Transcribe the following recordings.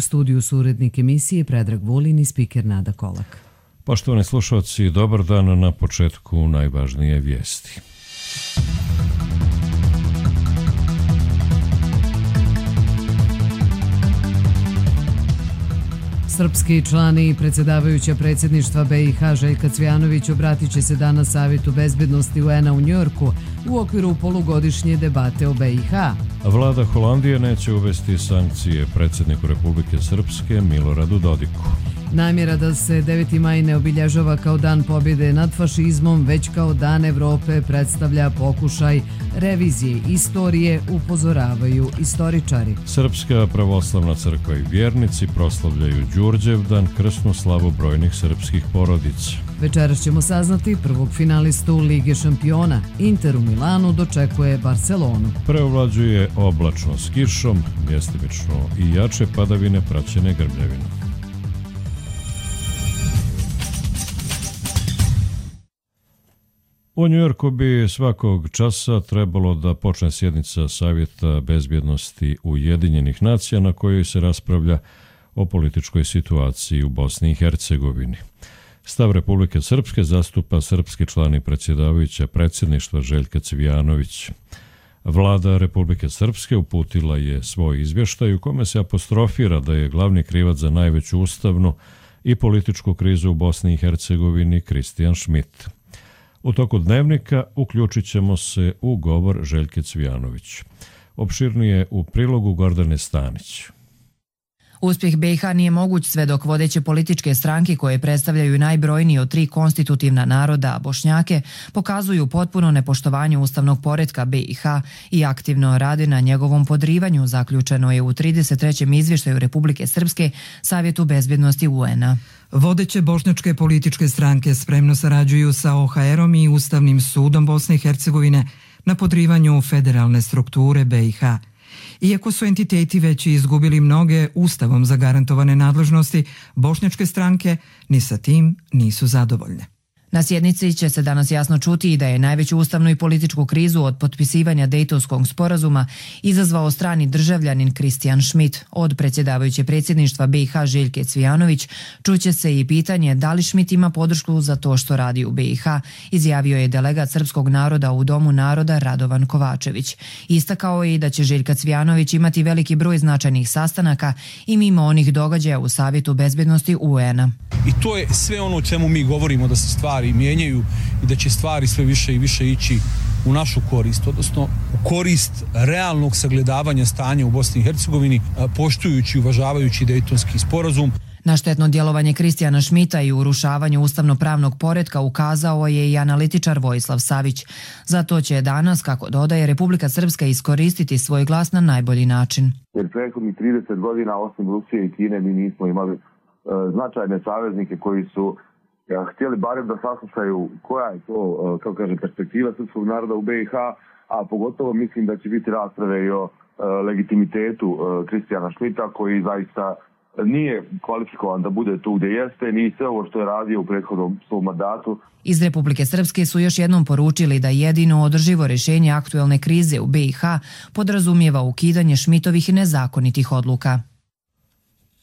U studiju su urednik emisije Predrag Vulin i spiker Nada Kolak. Poštovani slušalci, dobar dan. Na početku najvažnije vijesti. Srpski član i predsjedavajuća predsjedništva BiH Željka Cvijanović obratit će se danas Savjetu bezbednosti UN-a u Njujorku u okviru polugodišnje debate o BiH. Vlada Holandije neće uvesti sankcije predsjedniku Republike Srpske Miloradu Dodiku. Namjera da se 9. maj ne obilježava kao dan pobjede nad fašizmom, već kao dan Evrope predstavlja pokušaj revizije istorije, upozoravaju istoričari. Srpska pravoslavna crkva i vjernici proslavljaju Đurđevdan, krsnu slavu brojnih srpskih porodica. Večeras ćemo saznati prvog finalistu Lige šampiona. Inter u Milanu dočekuje Barcelonu. Preovlađuje oblačno s kišom, mjestimično i jače padavine praćene grmljavinom. U Njujorku bi svakog časa trebalo da počne sjednica Savjeta bezbjednosti Ujedinjenih nacija na kojoj se raspravlja o političkoj situaciji u Bosni i Hercegovini. Stav Republike Srpske zastupa srpski član i predsjedavajuća predsjedništva Željka Cvijanović. Vlada Republike Srpske uputila je svoj izvještaj u kome se apostrofira da je glavni krivac za najveću ustavnu i političku krizu u Bosni i Hercegovini Kristijan Šmit. U toku dnevnika uključit ćemo se u govor Željke Cvijanović. Opširnije u prilogu Gordane Stanić. Uspjeh BiH nije moguć sve dok vodeće političke stranke koje predstavljaju najbrojniji od 3 konstitutivna naroda, Bošnjake, pokazuju potpuno nepoštovanje ustavnog poretka BiH i aktivno rade na njegovom podrivanju, zaključeno je u 33. izvještaju Republike Srpske Savjetu bezbjednosti UN-a. Vodeće bošnjačke političke stranke spremno sarađuju sa OHR-om i Ustavnim sudom Bosne i Hercegovine na podrivanju federalne strukture BiH. Iako su entiteti već izgubili mnoge ustavom zagarantovane nadležnosti, bošnjačke stranke ni sa tim nisu zadovoljne. Na sjednici će se danas jasno čuti i da je najveću ustavnu i političku krizu od potpisivanja Dejtonskog sporazuma izazvao strani državljanin Kristijan Šmit. Od predsjedavajuće predsjedništva BiH Željke Cvijanović čuće se i pitanje da li Šmit ima podršku za to što radi u BiH, izjavio je delegat srpskog naroda u Domu naroda Radovan Kovačević. Istakao je i da će Željka Cvijanović imati veliki broj značajnih sastanaka i mimo onih događaja u Savjetu bezbjednosti UN-a. I to je sve ono o čemu mi govorimo, da se stvari mijenjaju i da će stvari sve više i više ići u našu korist, odnosno u korist realnog sagledavanja stanja u Bosni i Hercegovini, poštujući i uvažavajući Dejtonski sporazum. Na štetno djelovanje Kristijana Šmita i urušavanju ustavno-pravnog poretka ukazao je i analitičar Vojislav Savić. Zato će danas, kako dodaje, Republika Srpska iskoristiti svoj glas na najbolji način. Jer prethodnih 30 godina osim Rusije i Kine mi nismo imali značajne saveznike koji su htjeli barem da saslušaju koja je to, kako kaže, perspektiva srpskog naroda u BiH, a pogotovo mislim da će biti rasprave i o legitimitetu Kristijana Šmita, koji zaista nije kvalifikovan da bude tu gdje jeste, ni sve ovo što je radio u prethodnom svom mandatu. Iz Republike Srpske su još jednom poručili da jedino održivo rješenje aktuelne krize u BiH podrazumijeva ukidanje Šmitovih nezakonitih odluka.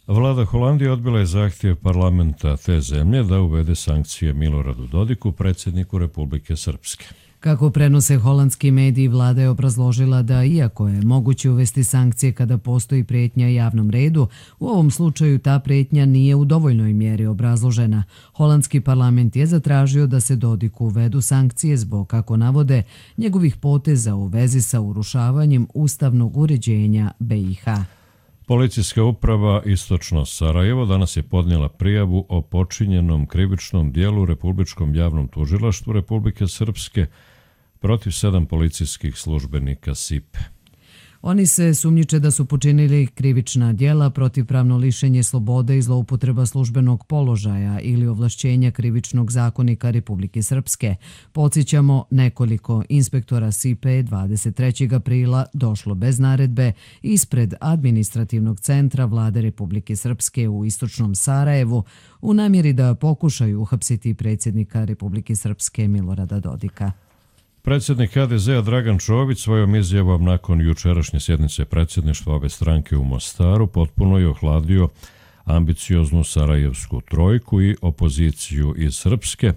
Vlada Holandije odbila je zahtjev parlamenta te zemlje da uvede sankcije Miloradu Dodiku, predsjedniku Republike Srpske. Kako prenose holandski mediji, vlada je obrazložila da iako je moguće uvesti sankcije kada postoji prijetnja javnom redu, u ovom slučaju ta prijetnja nije u dovoljnoj mjeri obrazložena. Holandski parlament je zatražio da se Dodiku uvedu sankcije zbog, kako navode, njegovih poteza u vezi sa urušavanjem ustavnog uređenja BiH. Policijska uprava Istočno Sarajevo danas je podnijela prijavu o počinjenom krivičnom dijelu Republičkom javnom tužilaštvu Republike Srpske protiv 7 policijskih službenika SIP-e. Oni se sumnjiče da su počinili krivična djela, protivpravno lišenje slobode i zloupotreba službenog položaja ili ovlašćenja Krivičnog zakonika Republike Srpske. Podsjećamo, nekoliko inspektora SIP-e 23. aprila došlo bez naredbe ispred administrativnog centra Vlade Republike Srpske u Istočnom Sarajevu u namjeri da pokušaju uhapsiti predsjednika Republike Srpske Milorada Dodika. Predsjednik HDZ-a Dragan Čović svojom izjavom nakon jučerašnje sjednice predsjedništva obe stranke u Mostaru potpuno je ohladio ambicioznu sarajevsku trojku i opoziciju iz Srpske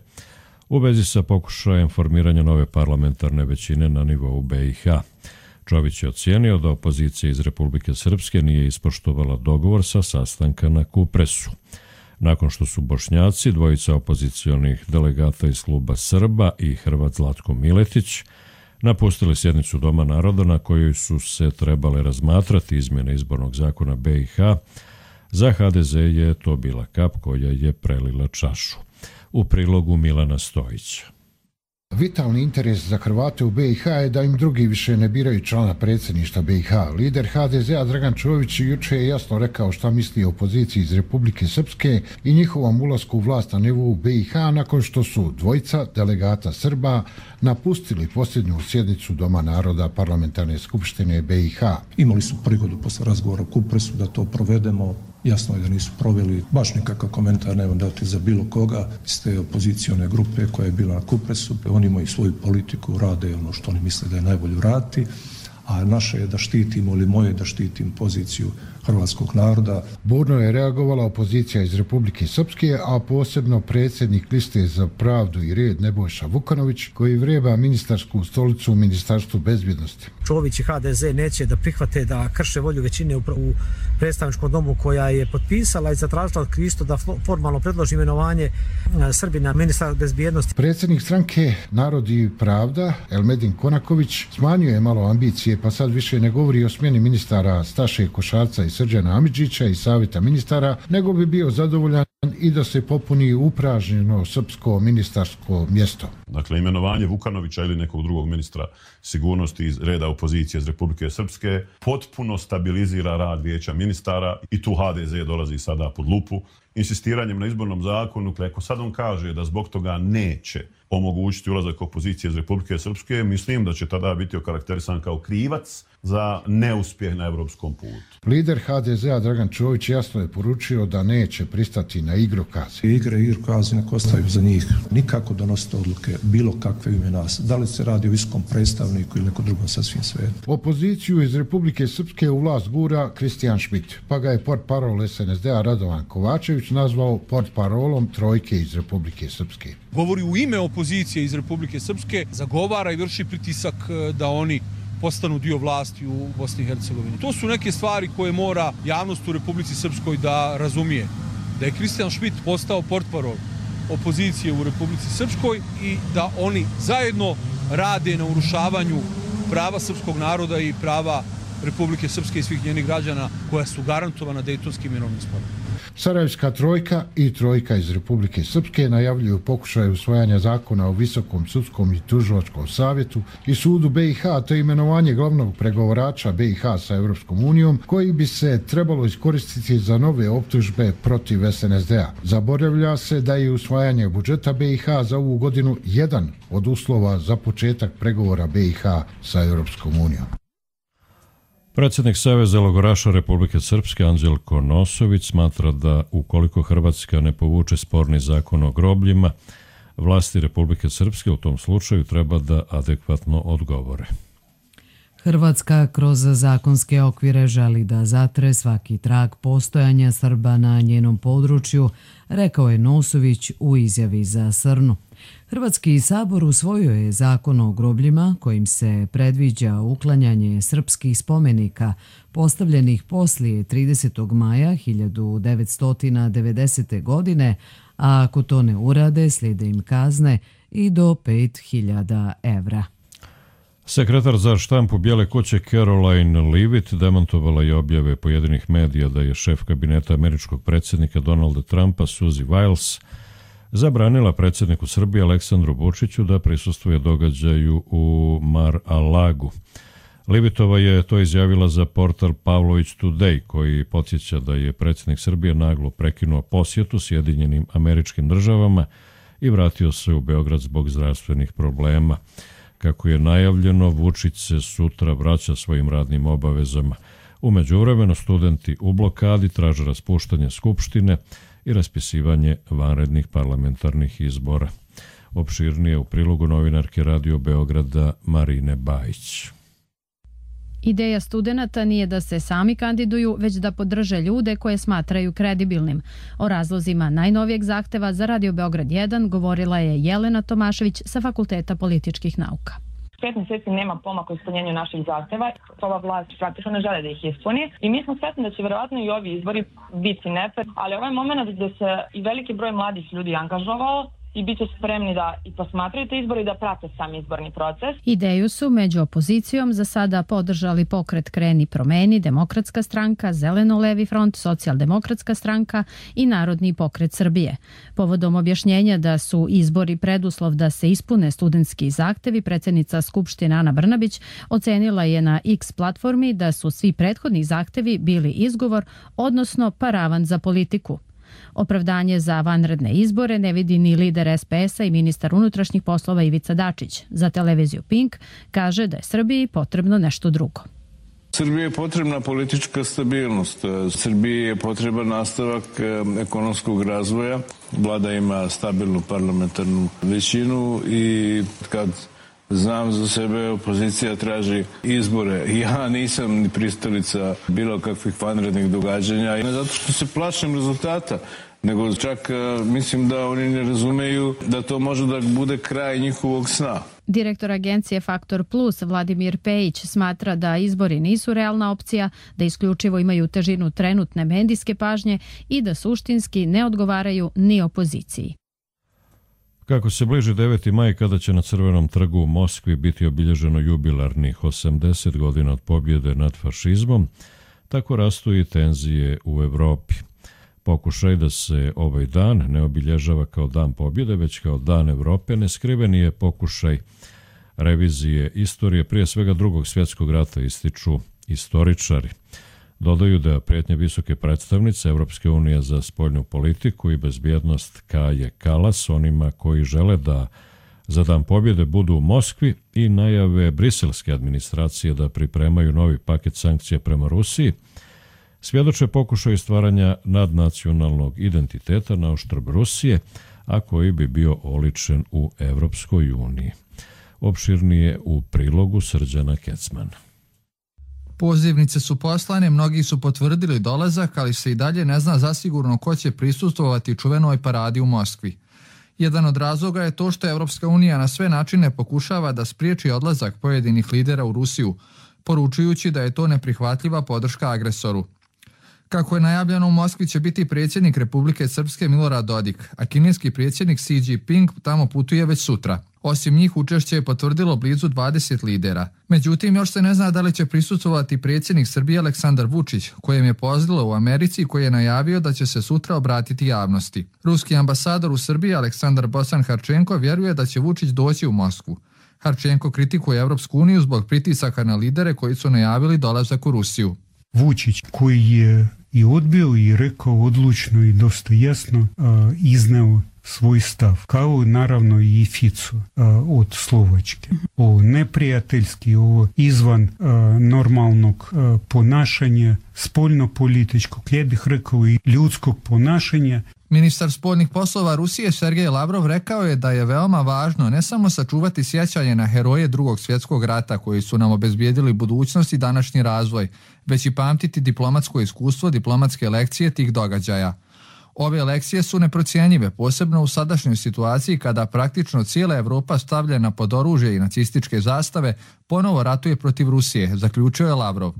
u vezi sa pokušajem formiranja nove parlamentarne većine na nivou BiH. Čović je ocijenio da opozicija iz Republike Srpske nije ispoštovala dogovor sa sastanka na Kupresu. Nakon što su Bošnjaci, dvojica opozicionih delegata iz kluba Srba i Hrvat Zlatko Miletić, napustili sjednicu Doma naroda na kojoj su se trebale razmatrati izmjene izbornog zakona BiH, za HDZ je to bila kap koja je prelila čašu. U prilogu Milana Stojića. Vitalni interes za Hrvate u BiH je da im drugi više ne biraju člana predsjedništva BiH. Lider HDZ-a Dragan Čović juče je jasno rekao šta misli o opoziciji iz Republike Srpske i njihovom ulasku u vlast na nivou BiH nakon što su dvojica delegata Srba napustili posljednju sjednicu Doma naroda parlamentarne skupštine BiH. Imali su prigodu posle razgovora u Kupresu da to provedemo. Jasno je da nisu proveli, baš nikakav komentar nemam dati za bilo koga iz te opozicione grupe koja je bila na Kupresu. Oni imaju svoju politiku, rade ono što oni misle da je najbolje uraditi, a naše je da štitimo, ili moje da štitim poziciju hrvatskog naroda. Burno je reagovala opozicija iz Republike Srpske, a posebno predsjednik liste za pravdu i red Nebojša Vukanović, koji vreba ministarsku stolicu u Ministarstvu bezbjednosti. Čović i HDZ neće da prihvate da krše volju većine u predstavničkom domu koja je potpisala i zatražila od Kristo da formalno predloži imenovanje Srbina ministra bezbjednosti. Predsjednik stranke Narod i pravda, Elmedin Konaković, smanjio je malo ambicije, pa sad više ne govori o smjeni ministara Staše Košarca i Srđana Amidžića i savjeta ministara, nego bi bio zadovoljan i da se popuni upražnjeno srpsko ministarsko mjesto. Dakle, imenovanje Vukanovića ili nekog drugog ministra sigurnosti iz reda opozicije iz Republike Srpske potpuno stabilizira rad vijeća ministara i tu HDZ dolazi sada pod lupu. Insistiranjem na izbornom zakonu, ako sad on kaže da zbog toga neće omogućiti ulazak opozicije iz Republike Srpske, mislim da će tada biti okarakterisan kao krivac za neuspjeh na evropskom putu. Lider HDZ-a Dragan Čović jasno je poručio da neće pristati na igrokaze. Igrokazi nek ostaju za njih. Nikako donositi odluke bilo kakve ime nas. Da li se radi o viskom predstavniku ili neko drugom sasvim svetu. Opoziciju iz Republike Srpske u vlast gura Kristijan Šmit, pa ga je portparol SNSD-a Radovan Kovačević nazvao portparolom trojke iz Republike Srpske. Govori u ime opozicije iz Republike Srpske, zagovara i vrši pritisak da oni postanu dio vlasti u Bosni i Hercegovini. To su neke stvari koje mora javnost u Republici Srpskoj da razumije. Da je Kristijan Šmit postao portparol opozicije u Republici Srpskoj i da oni zajedno rade na urušavanju prava srpskog naroda i prava Republike Srpske i svih njenih građana koja su garantovana Dejtonskim mirovnim sporazumom. Sarajevska trojka i trojka iz Republike Srpske najavljuju pokušaj usvajanja zakona o Visokom sudskom i tužilačkom savjetu i sudu BiH, te imenovanje glavnog pregovarača BiH sa Europskom unijom, koji bi se trebalo iskoristiti za nove optužbe protiv SNSD-a. Zaboravlja se da je usvajanje budžeta BiH za ovu godinu jedan od uslova za početak pregovora BiH sa Europskom unijom. Predsjednik Saveza logoraša Republike Srpske Anđelko Nosović smatra da ukoliko Hrvatska ne povuče sporni zakon o grobljima, vlasti Republike Srpske u tom slučaju treba da adekvatno odgovore. Hrvatska kroz zakonske okvire želi da zatre svaki trag postojanja Srba na njenom području, rekao je Nosović u izjavi za Srnu. Hrvatski sabor usvojio je zakon o grobljima kojim se predviđa uklanjanje srpskih spomenika postavljenih poslije 30. maja 1990. godine, a ako to ne urade slijede im kazne i do 5.000 evra. Sekretar za štampu Bijele kuće Caroline Leavitt demantovala je objave pojedinih medija da je šef kabineta američkog predsjednika Donalda Trumpa Suzy Wiles zabranila predsjedniku Srbije Aleksandru Vučiću da prisustvuje događaju u Mar-a-Lagu. Leavittova je to izjavila za portal Pavlović Today, koji podsjeća da je predsjednik Srbije naglo prekinuo posjetu Sjedinjenim Američkim Državama i vratio se u Beograd zbog zdravstvenih problema. Kako je najavljeno, Vučić se sutra vraća svojim radnim obavezama. U međuvremenu studenti u blokadi traže raspuštanje Skupštine i raspisivanje vanrednih parlamentarnih izbora. Opširnije u prilogu novinarke Radio Beograda Marine Bajić. Ideja studenata nije da se sami kandiduju, već da podrže ljude koje smatraju kredibilnim. O razlozima najnovijeg zahteva za Radio Beograd 1 govorila je Jelena Tomašević sa Fakulteta političkih nauka. 5 mjeseci nema pomaka u ispunjenju naših zahteva. Ova vlast praktično ne žele da ih ispuni i mi smo svesni da će vjerovatno i ovi izbori biti nefer, ali ovaj moment gdje se i veliki broj mladih ljudi angažovao i bit će spremni da i posmatraju te izbore i da prate sam izborni proces. Ideju su među opozicijom za sada podržali Pokret Kreni promeni, Demokratska stranka, Zeleno-levi front, Socijaldemokratska stranka i Narodni pokret Srbije. Povodom objašnjenja da su izbori preduslov da se ispune studentski zahtevi, predsjednica Skupštine Ana Brnabić ocenila je na X platformi da su svi prethodni zahtevi bili izgovor, odnosno paravan za politiku. Opravdanje za vanredne izbore ne vidi ni lider SPS-a i ministar unutrašnjih poslova Ivica Dačić. Za televiziju Pink kaže da je Srbiji potrebno nešto drugo. Srbiji je potrebna politička stabilnost. Srbiji je potreban nastavak ekonomskog razvoja. Vlada ima stabilnu parlamentarnu većinu i kad znam za sebe, opozicija traži izbore. Ja nisam ni pristalica bilo kakvih vanrednih događanja. Ne zato što se plašim rezultata, nego čak mislim da oni ne razumeju da to može da bude kraj njihovog sna. Direktor agencije Faktor Plus Vladimir Pejić smatra da izbori nisu realna opcija, da isključivo imaju težinu trenutne medijske pažnje i da suštinski ne odgovaraju ni opoziciji. Kako se bliži 9. maj kada će na Crvenom trgu u Moskvi biti obilježeno jubilarnih 80 godina od pobjede nad fašizmom, tako rastu i tenzije u Evropi. Pokušaj da se ovaj dan ne obilježava kao dan pobjede, već kao dan Evrope, neskriveni je pokušaj revizije istorije, prije svega Drugog svjetskog rata, ističu istoričari. Dodaju da prijetnje visoke predstavnice Evropske unije za spoljnu politiku i bezbjednost Kaje Kalas onima koji žele da za dan pobjede budu u Moskvi i najave briselske administracije da pripremaju novi paket sankcija prema Rusiji, svjedoče pokušaju stvaranja nadnacionalnog identiteta na oštrb Rusije, a koji bi bio oličen u Evropskoj uniji. Opširnije u prilogu Srđana Kecmana. Pozivnice su poslane, mnogi su potvrdili dolazak, ali se i dalje ne zna zasigurno ko će prisustvovati čuvenoj paradi u Moskvi. Jedan od razloga je to što Evropska unija na sve načine pokušava da spriječi odlazak pojedinih lidera u Rusiju, poručujući da je to neprihvatljiva podrška agresoru. Kako je najavljeno, u Moskvi će biti predsjednik Republike Srpske Milorad Dodik, a kineski predsjednik Xi Jinping tamo putuje već sutra. Osim njih, učešće je potvrdilo blizu 20 lidera. Međutim, još se ne zna da li će prisustvovati predsjednik Srbije Aleksandar Vučić, kojem je pozlilo u Americi, koji je najavio da će se sutra obratiti javnosti. Ruski ambasador u Srbiji Aleksandar Bosan Harčenko vjeruje da će Vučić doći u Moskvu. Harčenko kritikuje Evropsku uniju zbog pritisaka na lidere koji su najavili dolazak u Rusiju. Vučić koji je i odbio i rekao odlučno i dosta jasno izneo svoj stav, kao naravno i Fico od Slovačke. Ovo neprijateljski, ovo izvan normalnog ponašanja, spoljno-političkog, ja bih rekao i ljudskog ponašanja. Ministar spoljnih poslova Rusije Sergej Lavrov rekao je da je veoma važno ne samo sačuvati sjećanje na heroje Drugog svjetskog rata koji su nam obezbijedili budućnost i današnji razvoj, već i pamtiti diplomatsko iskustvo, diplomatske lekcije tih događaja. Ove lekcije su neprocjenjive, posebno u sadašnjoj situaciji kada praktično cijela Evropa stavljena pod oružje i nacističke zastave ponovo ratuje protiv Rusije, zaključio je Lavrov.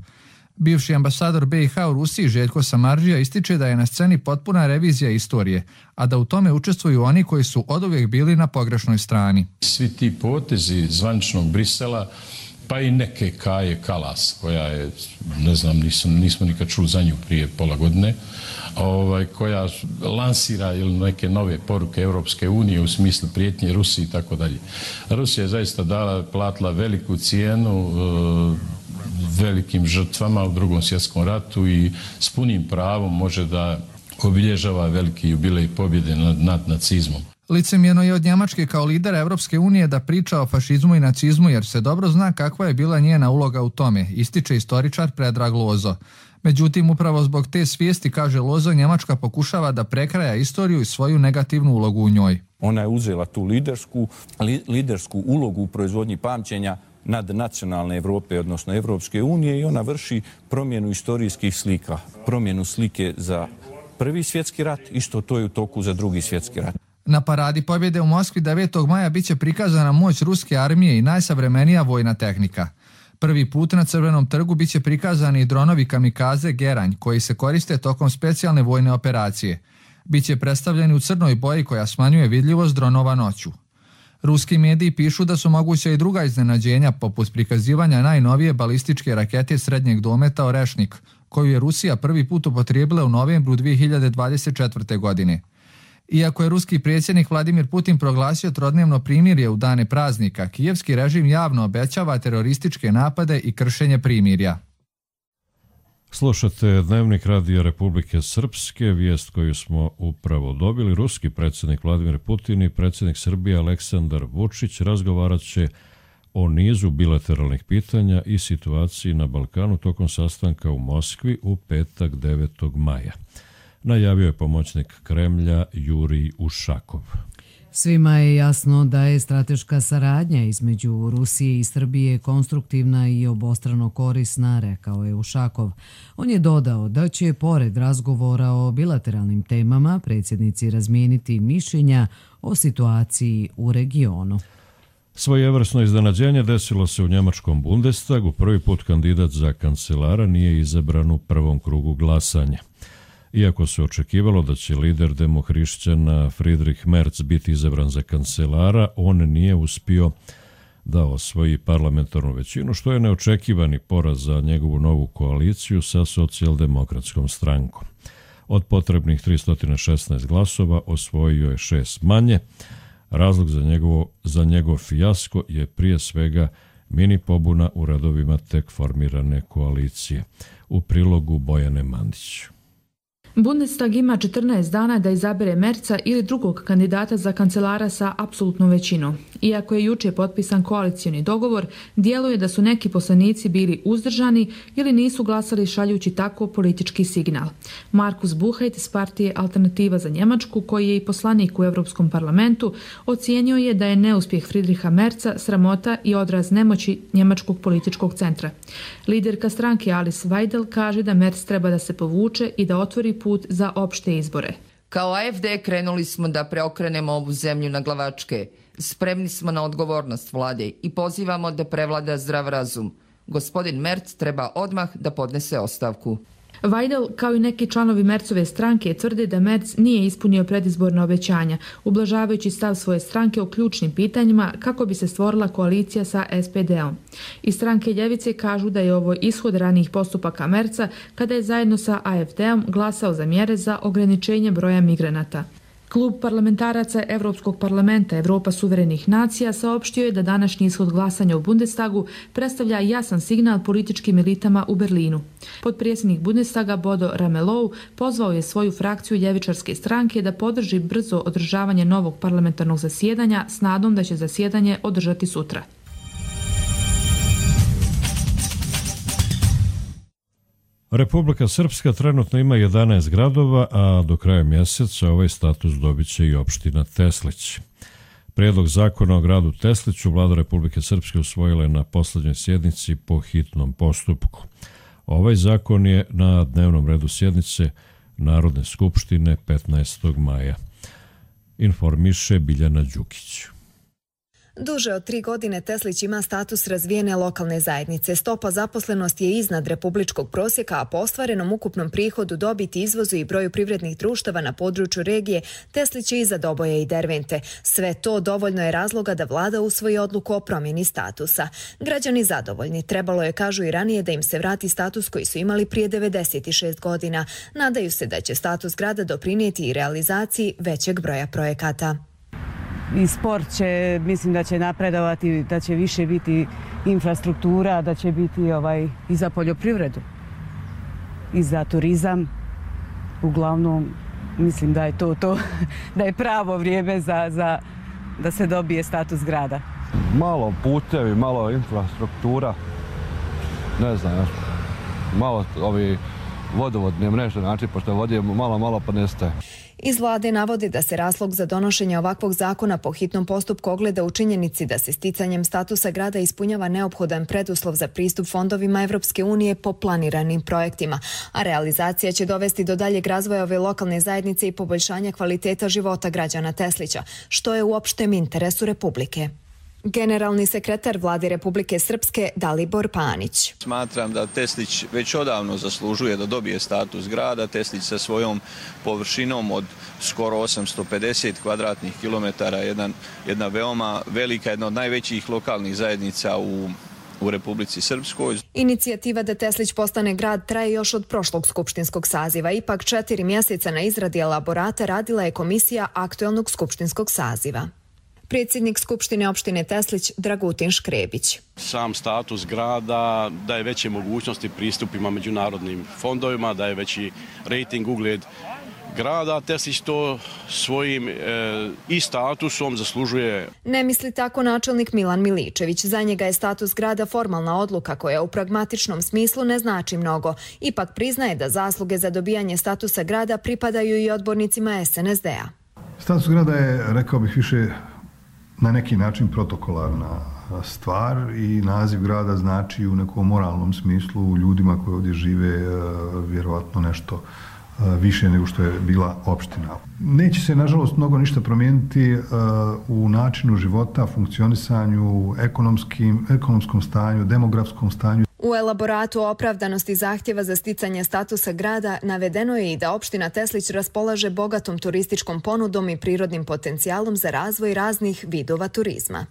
Bivši ambasador BiH u Rusiji Željko Samardžija ističe da je na sceni potpuna revizija istorije, a da u tome učestvuju oni koji su oduvijek bili na pogrešnoj strani. Svi ti potezi zvaničnog Brisela, pa i neke Kaje Kalas, koja je, ne znam, nismo nikad čuli za nju prije pola godine, koja lansira ili neke nove poruke Europske unije u smislu prijetnje Rusiji i tako dalje. Rusija je zaista platila veliku cijenu velikim žrtvama u Drugom svjetskom ratu i s punim pravom može da obilježava veliki jubilej pobjede nad nacizmom. Licemjerno je od Njemačke kao lidera Evropske unije da priča o fašizmu i nacizmu jer se dobro zna kakva je bila njena uloga u tome, ističe istoričar Predrag Lozo. Međutim, upravo zbog te svijesti, kaže Lozo, Njemačka pokušava da prekraja istoriju i svoju negativnu ulogu u njoj. Ona je uzela tu lidersku ulogu u proizvodnji pamćenja nadnacionalne Evrope, odnosno Evropske unije, i ona vrši promjenu istorijskih slika, promjenu slike za Prvi svjetski rat, isto to je u toku za Drugi svjetski rat. Na paradi pobjede u Moskvi 9. maja biće prikazana moć ruske armije i najsavremenija vojna tehnika. Prvi put na Crvenom trgu biće prikazani dronovi kamikaze Geranj, koji se koriste tokom specijalne vojne operacije. Biće predstavljeni u crnoj boji koja smanjuje vidljivost dronova noću. Ruski mediji pišu da su moguća i druga iznenađenja, poput prikazivanja najnovije balističke rakete srednjeg dometa Orešnik, koju je Rusija prvi put upotrijebila u novembru 2024. godine. Iako je ruski predsjednik Vladimir Putin proglasio trodnevno primirje u dane praznika, kijevski režim javno obećava terorističke napade i kršenje primirja. Slušate Dnevnik Radija Republike Srpske, vijest koju smo upravo dobili. Ruski predsjednik Vladimir Putin i predsjednik Srbije Aleksandar Vučić razgovarat će o nizu bilateralnih pitanja i situaciji na Balkanu tokom sastanka u Moskvi u petak 9. maja. Najavio je pomoćnik Kremlja Jurij Ušakov. Svima je jasno da je strateška saradnja između Rusije i Srbije konstruktivna i obostrano korisna, rekao je Ušakov. On je dodao da će, pored razgovora o bilateralnim temama, predsjednici razmijeniti mišljenja o situaciji u regionu. Svojevrsno iznenađenje desilo se u njemačkom Bundestagu. Prvi put kandidat za kancelara nije izabran u prvom krugu glasanja. Iako se očekivalo da će lider demohrišćana Friedrich Merz biti izabran za kancelara, on nije uspio da osvoji parlamentarnu većinu, što je neočekivani poraz za njegovu novu koaliciju sa socijaldemokratskom strankom. Od potrebnih 316 glasova osvojio je 6 manje. Razlog za njegov fijasko je prije svega mini pobuna u redovima tek formirane koalicije. U prilogu Bojane Mandić. Bundestag ima 14 dana da izabere Merza ili drugog kandidata za kancelara sa apsolutnom većinom. Iako je juče potpisan koalicioni dogovor, djeluje da su neki poslanici bili uzdržani ili nisu glasali šaljući tako politički signal. Markus Buchheit iz partije Alternativa za Njemačku, koji je i poslanik u Europskom parlamentu, ocijenio je da je neuspjeh Friedricha Merza sramota i odraz nemoći njemačkog političkog centra. Liderka stranke Alice Weidel kaže da Merz treba da se povuče i da otvori put za opšte izbore. Kao AfD krenuli smo da preokrenemo ovu zemlju na glavačke. Spremni smo na odgovornost vlade i pozivamo da prevlada zdrav razum. Gospodin Merz treba odmah da podnese ostavku. Weidel, kao i neki članovi Merzove stranke, tvrde da Merz nije ispunio predizborna obećanja, ublažavajući stav svoje stranke o ključnim pitanjima kako bi se stvorila koalicija sa SPD-om. Iz stranke Ljevice kažu da je ovo ishod ranijih postupaka Merza kada je zajedno sa AfD-om glasao za mjere za ograničenje broja migranata. Klub parlamentaraca Evropskog parlamenta Evropa suverenih nacija saopštio je da današnji ishod glasanja u Bundestagu predstavlja jasan signal političkim elitama u Berlinu. Potpredsjednik Bundestaga Bodo Ramelow pozvao je svoju frakciju ljevičarske stranke da podrži brzo održavanje novog parlamentarnog zasjedanja s nadom da će zasjedanje održati sutra. Republika Srpska trenutno ima 11 gradova, a do kraja mjeseca ovaj status dobit će i opština Teslić. Prijedlog zakona o gradu Tesliću Vlada Republike Srpske usvojila je na posljednjoj sjednici po hitnom postupku. Ovaj zakon je na dnevnom redu sjednice Narodne skupštine 15. maja. Informiše Biljana Đukić. Duže od 3 godine Teslić ima status razvijene lokalne zajednice. Stopa zaposlenosti je iznad republičkog prosjeka, a po ostvarenom ukupnom prihodu, dobiti, izvozu i broju privrednih društava na području regije, Teslić je iza Doboja i Dervente. Sve to dovoljno je razloga da vlada usvoji odluku o promjeni statusa. Građani zadovoljni. Trebalo je, kažu i ranije, da im se vrati status koji su imali prije 96 godina. Nadaju se da će status grada doprinijeti i realizaciji većeg broja projekata. I sport će, mislim da će napredovati, da će više biti infrastruktura, da će biti i za poljoprivredu, i za turizam. Uglavnom, mislim da je to da je pravo vrijeme da se dobije status grada. Malo putevi, malo infrastruktura, ne znam, malo vodovodne mreže, znači, pošto vode malo pa nestaje. Iz vlade navode da se razlog za donošenje ovakvog zakona po hitnom postupku ogleda u činjenici da se sticanjem statusa grada ispunjava neophodan preduslov za pristup fondovima Evropske unije po planiranim projektima, a realizacija će dovesti do daljeg razvoja ove lokalne zajednice i poboljšanja kvaliteta života građana Teslića, što je u opštem interesu Republike. Generalni sekretar vlade Republike Srpske Dalibor Panić. Smatram da Teslić već odavno zaslužuje da dobije status grada. Teslić sa svojom površinom od skoro 850 kvadratnih kilometara, jedna veoma velika, jedna od najvećih lokalnih zajednica u Republici Srpskoj. Inicijativa da Teslić postane grad traje još od prošlog skupštinskog saziva. Ipak 4 mjeseca na izradi elaborata radila je komisija aktuelnog skupštinskog saziva. Predsjednik Skupštine opštine Teslić Dragutin Škrebić. Sam status grada daje veće mogućnosti pristupima međunarodnim fondovima, daje veći rejting, ugled grada. Teslić to svojim i statusom zaslužuje. Ne misli tako načelnik Milan Miličević. Za njega je status grada formalna odluka koja u pragmatičnom smislu ne znači mnogo. Ipak priznaje da zasluge za dobijanje statusa grada pripadaju i odbornicima SNSD-a. Status grada je, rekao bih, više na neki način protokolarna stvar i naziv grada znači u nekom moralnom smislu ljudima koji ovdje žive vjerovatno nešto više nego što je bila opština. Neće se, nažalost, mnogo ništa promijeniti u načinu života, funkcionisanju, ekonomskom stanju, demografskom stanju. U elaboratu o opravdanosti zahtjeva za sticanje statusa grada navedeno je i da opština Teslić raspolaže bogatom turističkom ponudom i prirodnim potencijalom za razvoj raznih vidova turizma.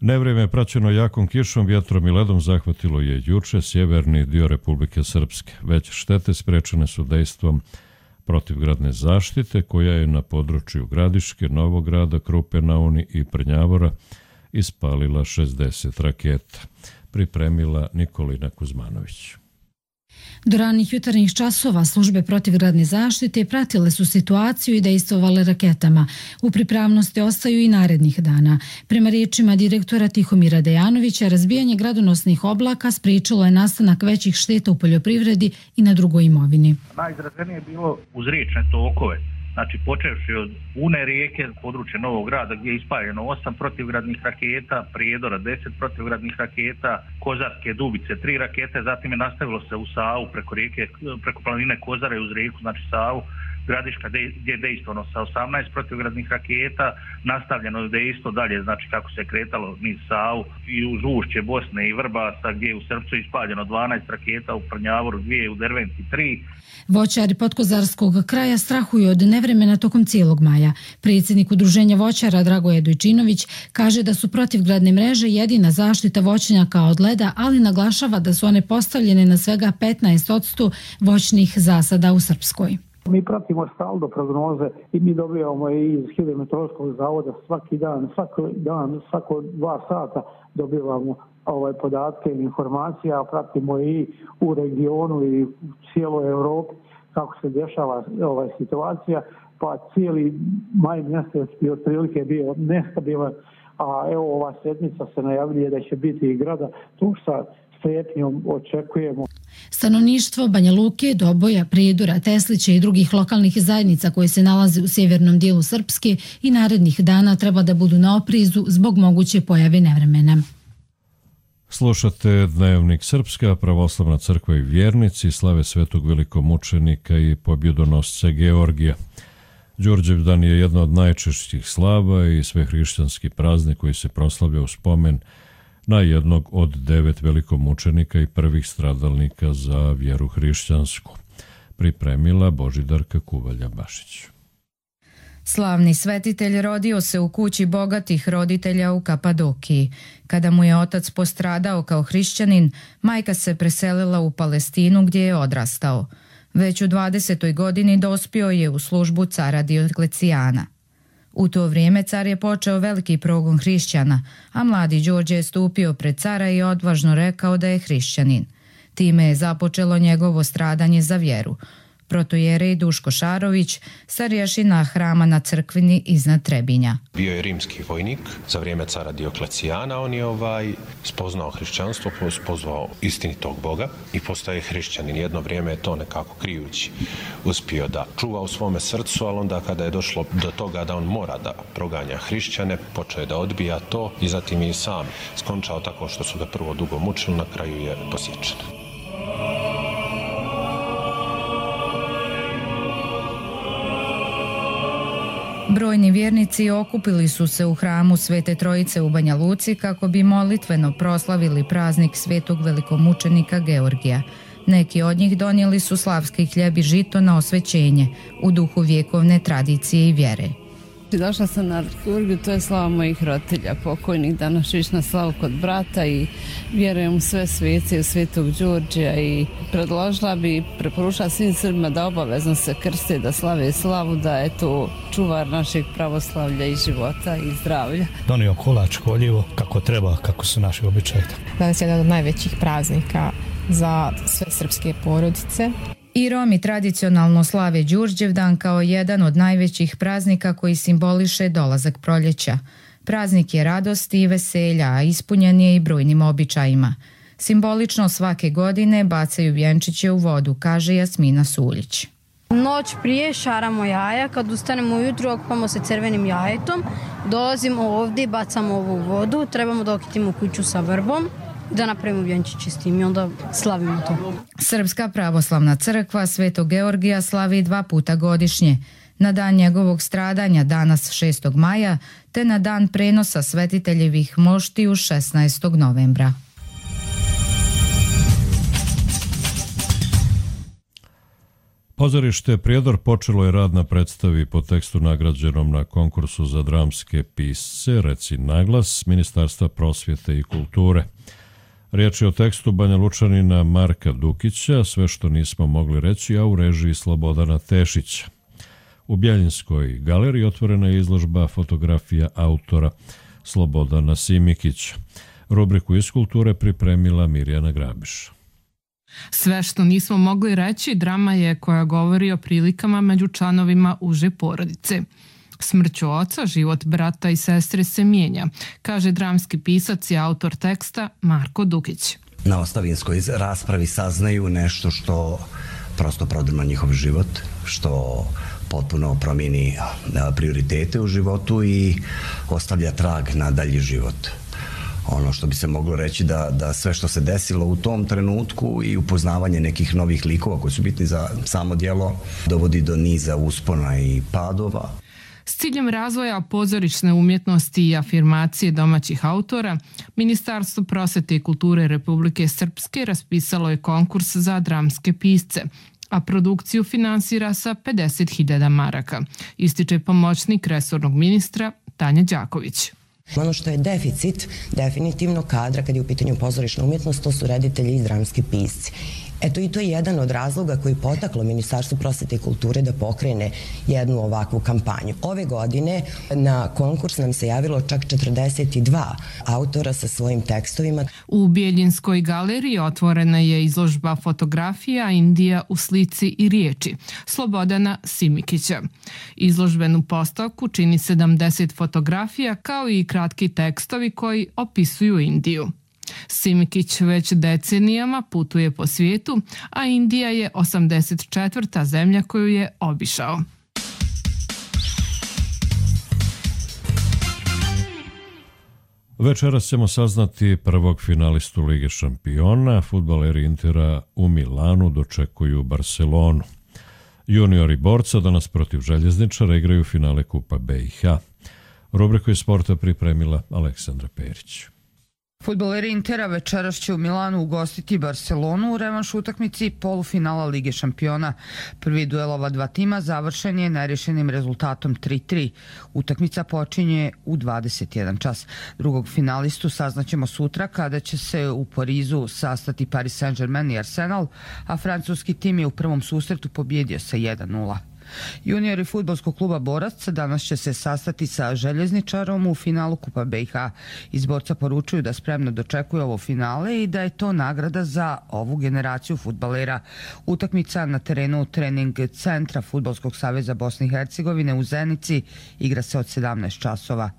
Nevrijeme praćeno jakom kišom, vjetrom i ledom zahvatilo je juče sjeverni dio Republike Srpske. Već štete sprečene su dejstvom protivgradne zaštite koja je na području Gradiške, Novograda, Krupe na Uni i Prnjavora ispalila 60 raketa. Pripremila Nikolina Kuzmanović. Do ranih jutarnjih časova službe protivgradne zaštite pratile su situaciju i dejstvovale raketama. U pripravnosti ostaju i narednih dana. Prema riječima direktora Tihomira Dejanovića, razbijanje gradonosnih oblaka spriječilo je nastanak većih šteta u poljoprivredi i na drugoj imovini. Najizraženije je bilo uz riječne tokove. Znači, počevši od Une rijeke, područje Novog Grada, gdje je ispaljeno 8 protivgradnih raketa, Prijedora 10 protivgradnih raketa, Kozarske Dubice 3 rakete, zatim je nastavilo se u Savu preko planine Kozare uz rijeku, znači Savu, Gradiška gdje je dejstvovano sa 18 protivgradnih raketa, nastavljeno je dejstvo dalje, znači kako se kretalo niz Savu i uz ušće Bosne i Vrbasa gdje je u Srpcu ispaljeno 12 raketa, u Prnjavoru 2, u Derventi 3. Voćari podkozarskog kraja strahuju od nevremena tokom cijelog maja. Predsjednik udruženja voćara Dragoje Dojčinović kaže da su protivgradne mreže jedina zaštita voćnjaka od leda, ali naglašava da su one postavljene na svega 15% voćnih zasada u Srpskoj. Mi pratimo stalno prognoze i mi dobijamo iz Hidrometeorološkog zavoda svaki dan, svako 2 sata dobivamo podatke i informacije, a pratimo i u regionu i u cijeloj Europi kako se dešava situacija, pa cijeli maj mjesec bi otprilike bio nestabilan, a evo ova sedmica se najavljuje da će biti i grada, tu sa strepnjom očekujemo. Stanovništvo Banja Luke, Doboja, Prijedora, Teslića i drugih lokalnih zajednica koje se nalaze u sjevernom dijelu Srpske i narednih dana treba da budu na oprezu zbog moguće pojave nevremena. Slušate Dnevnik Srpska, pravoslavna crkva i vjernici slave svetog velikomučenika i pobjedonosca Georgija. Đurđevdan je jedna od najčešćih slava i svehrišćanski praznik koji se proslavlja u spomen na jednog od 9 velikomučenika i prvih stradalnika za vjeru hrišćansku. Pripremila Božidarka Kuvalja-Bašić. Slavni svetitelj rodio se u kući bogatih roditelja u Kapadokiji. Kada mu je otac postradao kao hrišćanin, majka se preselila u Palestinu gdje je odrastao. Već u 20. godini dospio je u službu cara Dioklecijana. U to vrijeme car je počeo veliki progon hrišćana, a mladi Đorđe je stupio pred cara i odvažno rekao da je hrišćanin. Time je započelo njegovo stradanje za vjeru. Protojerej Duško Šarović, starješina hrama na Crkvini iznad Trebinja. Bio je rimski vojnik za vrijeme cara Dioklecijana, on je spoznao hrišćanstvo, pozvao istinitog Boga i postaje hrišćanin. Jedno vrijeme je to nekako krijući uspio da čuva u svome srcu, ali onda kada je došlo do toga da on mora da proganja hrišćane, počeo je da odbija to i zatim je i sam skončao tako što su ga prvo dugo mučili, na kraju je posječen. Brojni vjernici okupili su se u hramu Svete Trojice u Banja Luci kako bi molitveno proslavili praznik svetog velikomučenika Georgija. Neki od njih donijeli su slavski hljeb i žito na osvećenje u duhu vjekovne tradicije i vjere. Došla sam na liturgiju, to je slava mojih roditelja pokojnih, danas išla na slavu kod brata i vjerujem u sve svece, u Svetog Đurđija i predložila bi, preporučila svim Srbima da obavezno se krste, da slave slavu, da je to čuvar našeg pravoslavlja i života i zdravlja. Donio kolač, koljivo, kako treba, kako su naši običaji. Danas je jedan od najvećih praznika za sve srpske porodice. I Romi tradicionalno slave Đurđevdan kao jedan od najvećih praznika koji simboliše dolazak proljeća. Praznik je radosti i veselja, a ispunjen je i brojnim običajima. Simbolično svake godine bacaju vjenčiće u vodu, kaže Jasmina Suljić. Noć prije šaramo jaja, kad ustanemo ujutru okupamo se crvenim jajetom, dolazimo ovdje, bacamo ovu vodu, trebamo da okitimo kuću sa vrbom, da napravimo vjenčiće s tim i onda slavimo to. Srpska pravoslavna crkva Svetog Georgija slavi 2 puta godišnje. Na dan njegovog stradanja danas 6. maja te na dan prenosa svetiteljevih moštiju 16. novembra. Pozorište Prijedor počelo je rad na predstavi po tekstu nagrađenom na konkursu za dramske pisce Reci naglas Ministarstva prosvjete i kulture. Riječ je o tekstu Banja Lučanina Marka Dukića, Sve što nismo mogli reći, a u režiji Slobodana Tešića. U Bjeljinskoj galeriji otvorena je izložba fotografija autora Slobodana Simikića. Rubriku iz kulture pripremila Mirjana Grabiš. Sve što nismo mogli reći drama je koja govori o prilikama među članovima uže porodice. Smrću oca, život brata i sestre se mijenja, kaže dramski pisac i autor teksta Marko Dukić. Na ostavinskoj raspravi saznaju nešto što prosto prodrma njihov život, što potpuno promijeni prioritete u životu i ostavlja trag na dalji život. Ono što bi se moglo reći da sve što se desilo u tom trenutku i upoznavanje nekih novih likova koji su bitni za samo djelo dovodi do niza uspona i padova. S ciljem razvoja pozorišne umjetnosti i afirmacije domaćih autora, Ministarstvo prosvjete i kulture Republike Srpske raspisalo je konkurs za dramske pisce, a produkciju finansira sa 50.000 maraka, ističe pomoćnik resornog ministra Tanja Đaković. Ono što je deficit definitivno kadra kad je u pitanju pozorišna umjetnost, to su reditelji i dramski pisci. Eto i to je jedan od razloga koji je potaklo Ministarstvo prosvjete i kulture da pokrene jednu ovakvu kampanju. Ove godine na konkurs nam se javilo čak 42 autora sa svojim tekstovima. U Bjeljinskoj galeriji otvorena je izložba fotografija Indija u slici i riječi Slobodana Simikića. Izložbenu postavku čini 70 fotografija kao i kratki tekstovi koji opisuju Indiju. Simikić već decenijama putuje po svijetu, a Indija je 84. zemlja koju je obišao. Večeras ćemo saznati prvog finalistu Lige šampiona. Fudbaleri Intera u Milanu dočekuju Barcelonu. Juniori borca danas protiv Željezničara igraju finale Kupa BiH. Rubriku iz sporta pripremila Aleksandra Perić. Fudbaleri Intera večeras će u Milanu ugostiti Barcelonu u revanš utakmici polufinala Lige šampiona. Prvi duel ova dva tima završen je nerješenim rezultatom 3-3. Utakmica počinje u 21 čas. Drugog finalistu saznaćemo sutra kada će se u Parizu sastati Paris Saint-Germain i Arsenal, a francuski tim je u prvom susretu pobjedio sa 1-0. Juniori fudbalskog kluba Borac danas će se sastati sa Željezničarom u finalu Kupa BiH. Iz Borca poručuju da spremno dočekuju ovo finale i da je to nagrada za ovu generaciju fudbalera. Utakmica na terenu trening centra Fudbalskog saveza Bosne i Hercegovine u Zenici igra se od 17 časova.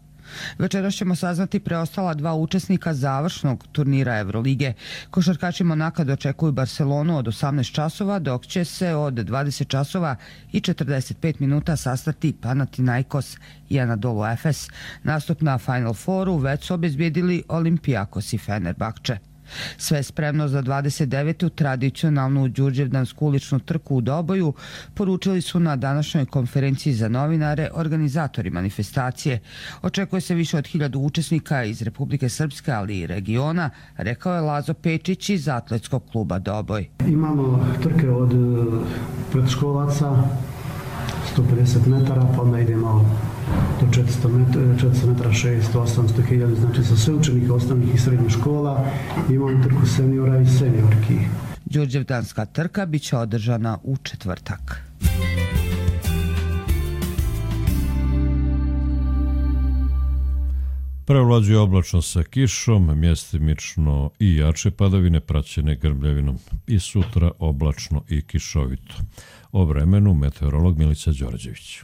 Večeras ćemo saznati preostala dva učesnika završnog turnira Evrolige. Košarkaši Monaka dočekuju Barcelonu od 18 časova, dok će se od 20 časova i 45 minuta sastati Panathinaikos i Anadolu Efes. Nastup na Final Fouru već su obezbijedili Olympiakos i Fenerbahče. Sve spremno za 29. tradicionalnu đurđevdansku uličnu trku u Doboju poručili su na današnjoj konferenciji za novinare organizatori manifestacije. Očekuje se više od 1000 učesnika iz Republike Srpske, ali i regiona, rekao je Lazo Pečić iz atletskog kluba Doboj. Imamo trke od predškolaca 150 metara, pa onda idemo do 400 metara, 600, 800, 1000, znači za sve učenike osnovnih i srednjih škola. Imamo trku seniora i seniorki. Đurđevdanska trka biće održana u četvrtak. Prevlađuje oblačno sa kišom, mjestimično i jače padavine praćene grmljavinom i sutra oblačno i kišovito. O vremenu meteorolog Milica Đorđević.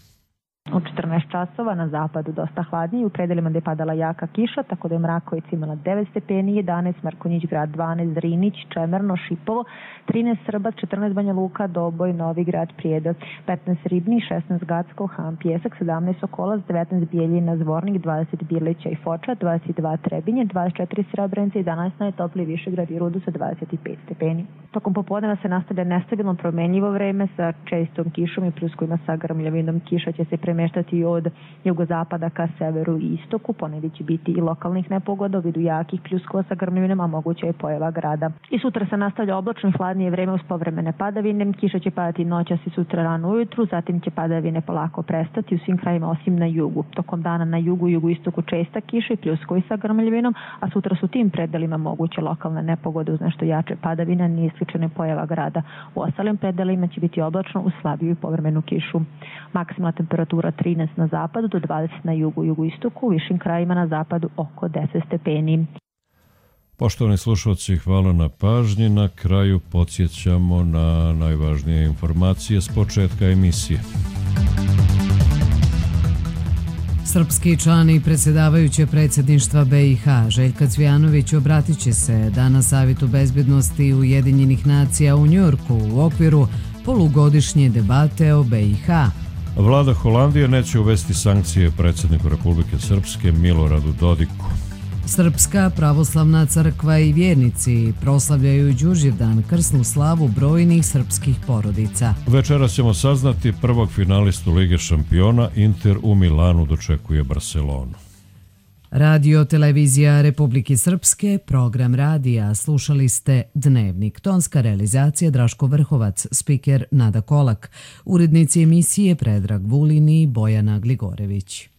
U 14 časova na zapadu dosta hladnije, u predelima gdje je padala jaka kiša, tako da je Mrakovica imala 9 stepeni, 11 Markonjić grad, 12 Drinić, Čemerno, Šipovo, 13 Srbac, 14 Banja Luka, Doboj, Novi grad, Prijedor, 15 Ribni, 16 Gacko, Han, Pjesak, 17 Sokolac, 19 Bijeljina, Zvornik, 20 Birlića i Foča, 22 Trebinje, 24 Srebrenica i danas najtopliji Višegrad i Rudu sa 25 stepeni. Tokom popodneva se nastavlja nestabilno promenljivo vreme sa čestom kišom i pljuskovima sa grmljavinom. Kiša će se premeštati od jugozapada ka severu i istoku. Ponegdje će biti i lokalnih nepogoda u vidu jakih pljuskova sa grmljavinom, a moguće je pojava grada. I sutra se nastavlja oblačno i hladnije vreme uz povremene padavine. Kiša će padati noćas i sutra rano ujutru, zatim će padavine polako prestati u svim krajima osim na jugu. Tokom dana na jugu i jugoistoku česta kiša i pljuskovi sa grmljavinom, a sutra su tim predelima moguće lokalne nepogode uz nešto jače padavina, nije isključena pojava grada. U ostalim predelima će biti oblačno uz slabiju i povremenu kišu. Maksimalna temperatura 13 na zapadu do 20 na jugu i jugoistoku, u višim krajima na zapadu oko 10 stepeni. Poštovani slušalci, hvala na pažnji. Na kraju podsjećamo na najvažnije informacije s početka emisije. Srpski član i predsjedavajuće predsjedništva BiH Željka Cvijanović obratit će se danas Savjetu bezbjednosti Ujedinjenih nacija u Njujorku u okviru polugodišnje debate o BiH. Vlada Holandije neće uvesti sankcije predsjedniku Republike Srpske Miloradu Dodiku. Srpska pravoslavna crkva i vjernici proslavljaju Đurđevdan, krsnu slavu brojnih srpskih porodica. Večeras ćemo saznati prvog finalistu Lige šampiona. Inter u Milanu dočekuje Barcelonu. Radio televizija Republike Srpske, program radija. Slušali ste Dnevnik. Tonska realizacija Draško Vrhovac, spiker Nada Kolak, urednici emisije Predrag Vulin i Bojana Gligorević.